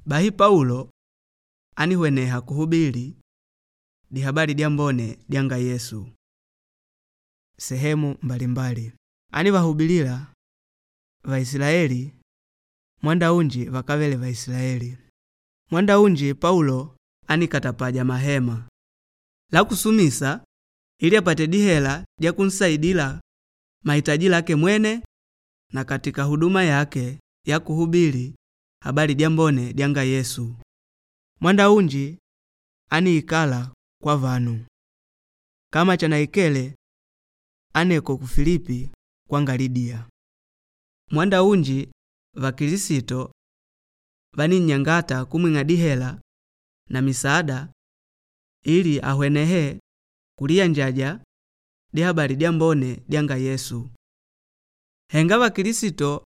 Bahi Paulo ánihweneha kuhubili Dihabali Dyambone dyanga Yesu sehemu mbalimbali. Ánivahubilila Vaisilaeli mwanda unji vakávele Vaisilaeli. Mwanda unji Paulo ánikatapaja mahema la kusumisa ili apate dihela dya kunsaidila mahitaji lake mwene na katika huduma yake ya kuhubili habali dyambone dyanga Yesu. Mwanda unji ániikala kwa vanu kama chanaikele aneko ku Filipi kwanga Lidiya. Mwanda unji Vakilisito vaninnyangata kumwing'a dihela na misaada ili ahwenehe kuliyanjaja Dihabali Dyambone dyanga Yesu. Henga Vakilisito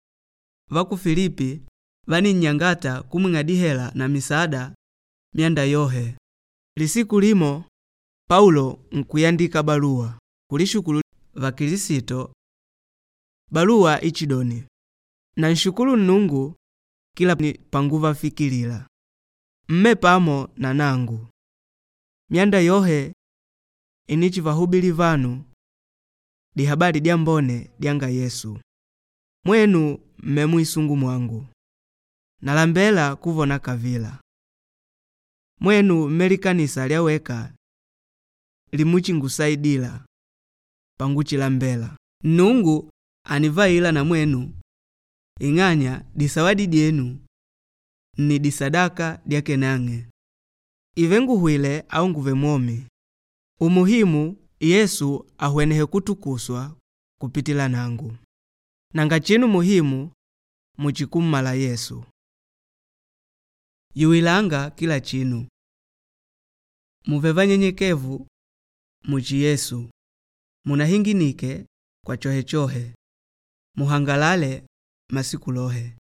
va ku Filipi vaninnyangata kumwing'a dihela na misaada myanda yohe. Lisiku limo Paulo nkuyandika baluwa kulishukulu Vakilisito. Baluwa ichidoni, nanshukulu Nnungu kila panguvafikilila. Mme pamo na nangu. Myanda yohe inichivahubili vanu Dihabali Dyambone dyanga Yesu. Mwenu mme mwisungu mwangu. Nalambela kuvona kavila. Mwenu mme likanisa lyaweka limuchingusaidila panguchilambela. Nnungu ànivaila na mwenu ing'anya disawadi dyenu nni disadaka dyake nang'e. Ìàve nguhwile au ngùùve mwomi, umuhimu Yesu ahwenehe kutukuswa kupitila nangu. Nanga chinu muhimu muchi kummala Yesu. Yuwilanga kila chinu. Mùùve vanyenyekevu muchi Yesu. Munahinginike kwa chohechohe. Muhangalale masiku lohe.